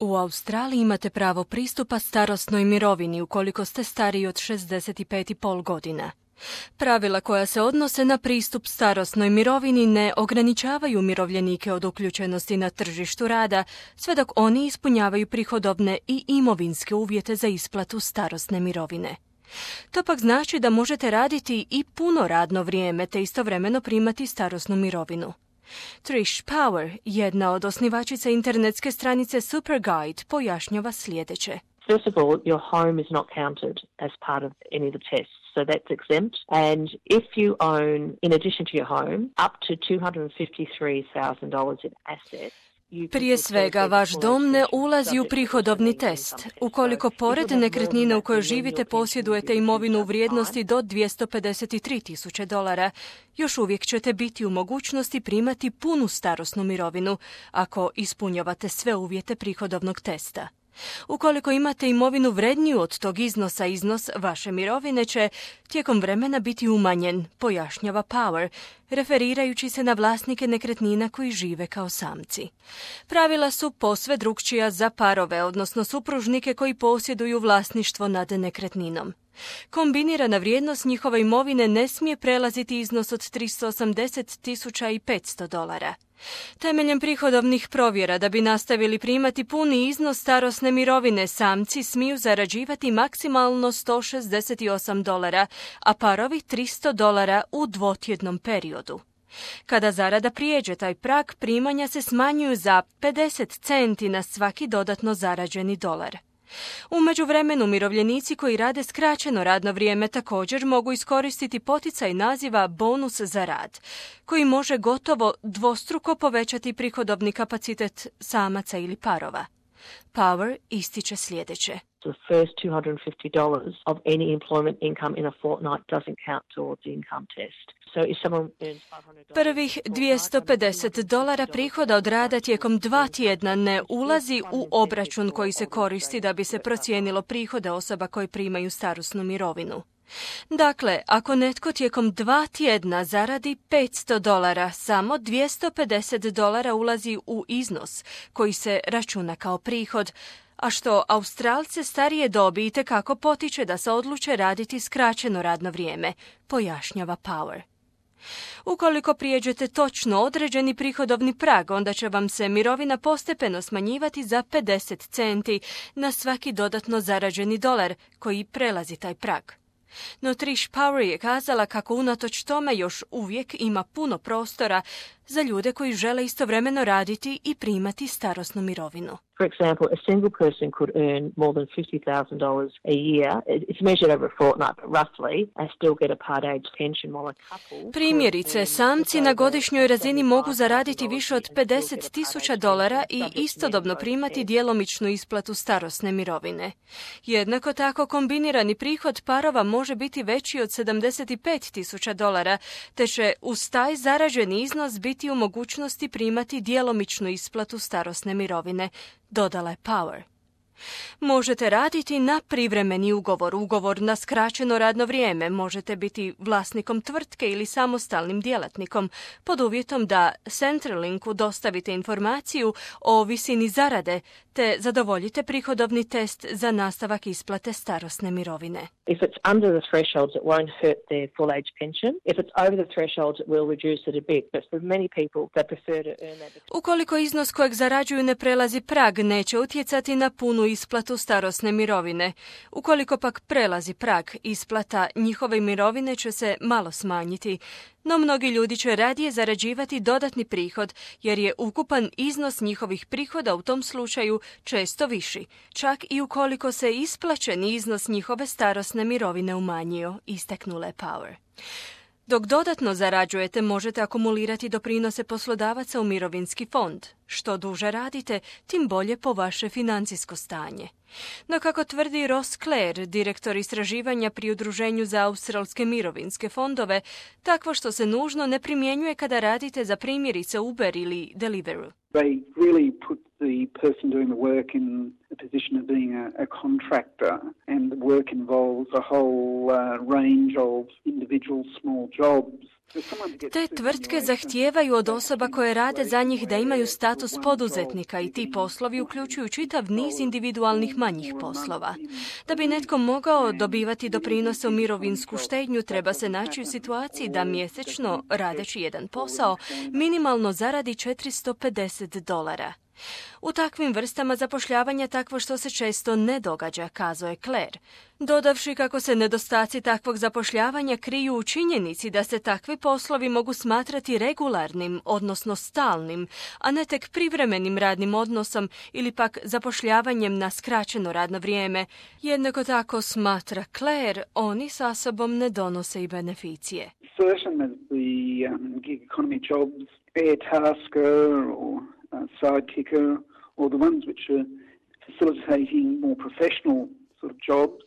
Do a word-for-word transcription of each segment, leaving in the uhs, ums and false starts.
U Australiji imate pravo pristupa starosnoj mirovini ukoliko ste stariji od šezdeset pet i pol godina. Pravila koja se odnose na pristup starosnoj mirovini ne ograničavaju umirovljenike od uključenosti na tržištu rada, sve dok oni ispunjavaju prihodovne i imovinske uvjete za isplatu starosne mirovine. To pak znači da možete raditi i puno radno vrijeme te istovremeno primati starosnu mirovinu. Trish Power, jedna od osnivačica internetske stranice Superguide, pojašnjava sljedeće. First of all, your home is not counted as part of any of the tests, so that's exempt. And if you own, in addition to your home, up to two hundred fifty-three thousand dollars in assets, prije svega, vaš dom ne ulazi u prihodovni test. Ukoliko pored nekretnine u kojoj živite posjedujete imovinu u vrijednosti do dvjesto pedeset tri tisuće dolara, još uvijek ćete biti u mogućnosti primati punu starosnu mirovinu ako ispunjavate sve uvjete prihodovnog testa. Ukoliko imate imovinu vredniju od tog iznosa, iznos vaše mirovine će tijekom vremena biti umanjen, pojašnjava Power, referirajući se na vlasnike nekretnina koji žive kao samci. Pravila su posve drukčija za parove, odnosno supružnike koji posjeduju vlasništvo nad nekretninom. Kombinirana vrijednost njihove imovine ne smije prelaziti iznos od tristo osamdeset tisuća petsto dolara. Temeljem prihodovnih provjera da bi nastavili primati puni iznos starosne mirovine, samci smiju zarađivati maksimalno sto šezdeset osam dolara, a parovi tristo dolara u dvotjednom periodu. Kada zarada prijeđe taj prag, primanja se smanjuju za pedeset centi na svaki dodatno zarađeni dolar. U međuvremenu umirovljenici koji rade skraćeno radno vrijeme također mogu iskoristiti poticaj naziva bonus za rad, koji može gotovo dvostruko povećati prihodovni kapacitet samaca ili parova. Power ističe sljedeće. The first two hundred fifty dollars of any employment income in a fortnight doesn't count towards the income test. So if someone earns five hundred dollars, Prvih dvjesto pedeset dolara prihoda od rada tijekom dva tjedna ne ulazi u obračun koji se koristi da bi se procijenilo prihode osoba koje primaju starosnu mirovinu. Dakle, ako netko tijekom dva tjedna zaradi petsto dolara, samo dvjesto pedeset dolara ulazi u iznos koji se računa kao prihod, a što Australce starije dobi itekako potiče da se odluče raditi skraćeno radno vrijeme, pojašnjava Power. Ukoliko prijeđete točno određeni prihodovni prag, onda će vam se mirovina postepeno smanjivati za pedeset centi na svaki dodatno zarađeni dolar koji prelazi taj prag. No Trish Power je kazala kako unatoč tome još uvijek ima puno prostora za ljude koji žele istovremeno raditi i primati starosnu mirovinu. For example, a single person could earn more than fifty thousand dollars a year. It's measured over a fortnight, but roughly, and still get a part age pension, while a couple... Primjerice, samci na godišnjoj razini mogu zaraditi više od pedeset tisuća dolara i istodobno primati djelomičnu isplatu starosne mirovine. Jednako tako, kombinirani prihod parova može biti veći od sedamdeset pet tisuća dolara, te će uz taj zarađeni iznos biti u mogućnosti primati djelomičnu isplatu starosne mirovine, dodala je Power. Možete raditi na privremeni ugovor, ugovor na skraćeno radno vrijeme, možete biti vlasnikom tvrtke ili samostalnim djelatnikom, pod uvjetom da Centrelinku dostavite informaciju o visini zarade, te zadovoljite prihodovni test za nastavak isplate starosne mirovine. If it's under the thresholds, it won't hurt their full age pension. If it's over the thresholds, it will reduce it a bit. But for many people, they prefer to earn that. Ukoliko iznos kojeg zarađuju ne prelazi prag, neće utjecati na punu isplatu starosne mirovine. Ukoliko pak prelazi prag, isplata njihove mirovine će se malo smanjiti. No mnogi ljudi će radije zarađivati dodatni prihod, jer je ukupan iznos njihovih prihoda u tom slučaju često viši, čak i ukoliko se isplaćeni iznos njihove starosne mirovine umanjio, istaknula je Power. Dok dodatno zarađujete, možete akumulirati doprinose poslodavaca u mirovinski fond. Što duže radite, tim bolje po vaše financijsko stanje. No kako tvrdi Ross Clare, direktor istraživanja pri Udruženju za australske mirovinske fondove, takvo što se nužno ne primjenjuje kada radite za primjerice Uber ili Deliveroo. They really put the person doing the work in a position of being a, a contractor, and the work involves a whole uh, range of individual small jobs. Te tvrtke zahtijevaju od osoba koje rade za njih da imaju status poduzetnika i ti poslovi uključuju čitav niz individualnih manjih poslova. Da bi netko mogao dobivati doprinose u mirovinsku štednju, treba se naći u situaciji da mjesečno, radeći jedan posao, minimalno zaradi četiristo pedeset dolara. U takvim vrstama zapošljavanja takvo što se često ne događa, kazao je Claire, dodavši kako se nedostaci takvog zapošljavanja kriju u činjenici da se takvi poslovi mogu smatrati regularnim, odnosno stalnim, a ne tek privremenim radnim odnosom ili pak zapošljavanjem na skraćeno radno vrijeme. Jednako tako, smatra Claire, oni sa sobom ne donose i beneficije. Certain as the um, gig economy jobs, air tasker or Uh, sidekicker, or the ones which are facilitating more professional sort of jobs.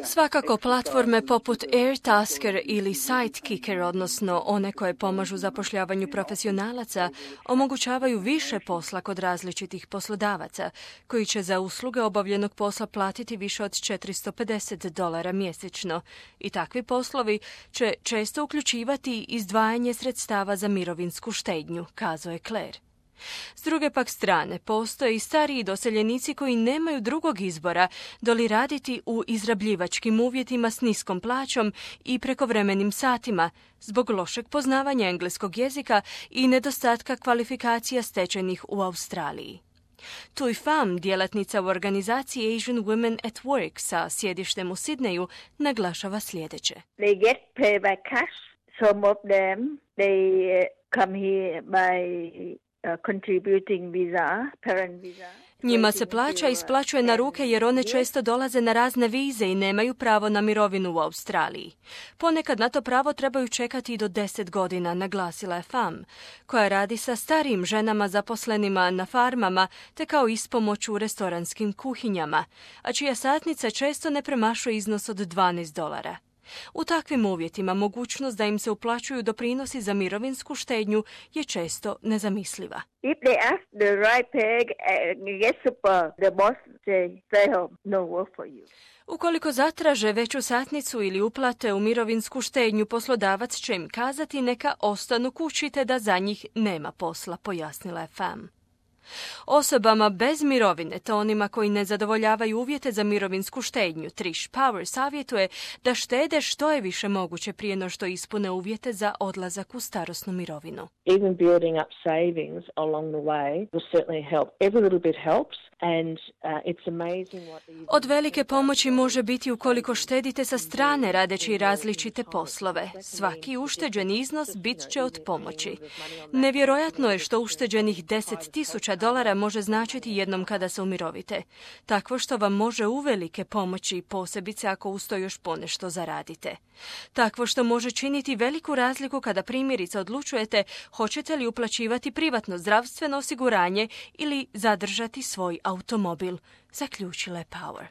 Svakako platforme poput Airtasker ili Sidekicker, odnosno one koje pomažu zapošljavanju profesionalaca, omogućavaju više posla kod različitih poslodavaca, koji će za usluge obavljenog posla platiti više od četiristo pedeset dolara mjesečno. I takvi poslovi će često uključivati izdvajanje sredstava za mirovinsku štednju, kazao je Claire. S druge pak strane, postoje i stariji doseljenici koji nemaju drugog izbora doli raditi u izrabljivačkim uvjetima s niskom plaćom i prekovremenim satima, zbog lošeg poznavanja engleskog jezika i nedostatka kvalifikacija stečenih u Australiji. Tui Pham, djelatnica u organizaciji Asian Women at Work sa sjedištem u Sidneju, naglašava sljedeće. They get paid by cash. Some of them, they come here by Uh, contributing visa, parent visa. Njima se plaća isplaćuje na ruke jer one često dolaze na razne vize i nemaju pravo na mirovinu u Australiji. Ponekad na to pravo trebaju čekati i do deset godina, naglasila je Pham, koja radi sa starijim ženama zaposlenima na farmama te kao ispomoć u restoranskim kuhinjama, a čija satnica često ne premašuje iznos od dvanaest dolara. U takvim uvjetima mogućnost da im se uplaćuju doprinosi za mirovinsku štednju je često nezamisliva. If they ask the right pay, get super, the boss say, stay home, no work for you. Ukoliko zatraže veću satnicu ili uplate u mirovinsku štednju, poslodavac će im kazati neka ostanu kući te da za njih nema posla, pojasnila je Pham. Osobama bez mirovine, te onima koji ne zadovoljavaju uvjete za mirovinsku štednju, Trish Power savjetuje da štede što je više moguće prije no što ispune uvjete za odlazak u starosnu mirovinu. Even building up savings along the way will certainly help. Every little bit helps and uh, it's amazing what these... Od velike pomoći može biti ukoliko štedite sa strane radeći različite poslove. Svaki ušteđeni iznos bit će od pomoći. Nevjerojatno je što ušteđenih deset tisuća dolara može značiti jednom kada se umirovite. Takvo što vam može uvelike pomoći, posebice ako uz to još ponešto zaradite. Takvo što može činiti veliku razliku kada primjerice odlučujete hoćete li uplaćivati privatno zdravstveno osiguranje ili zadržati svoj automobil, zaključila je Power.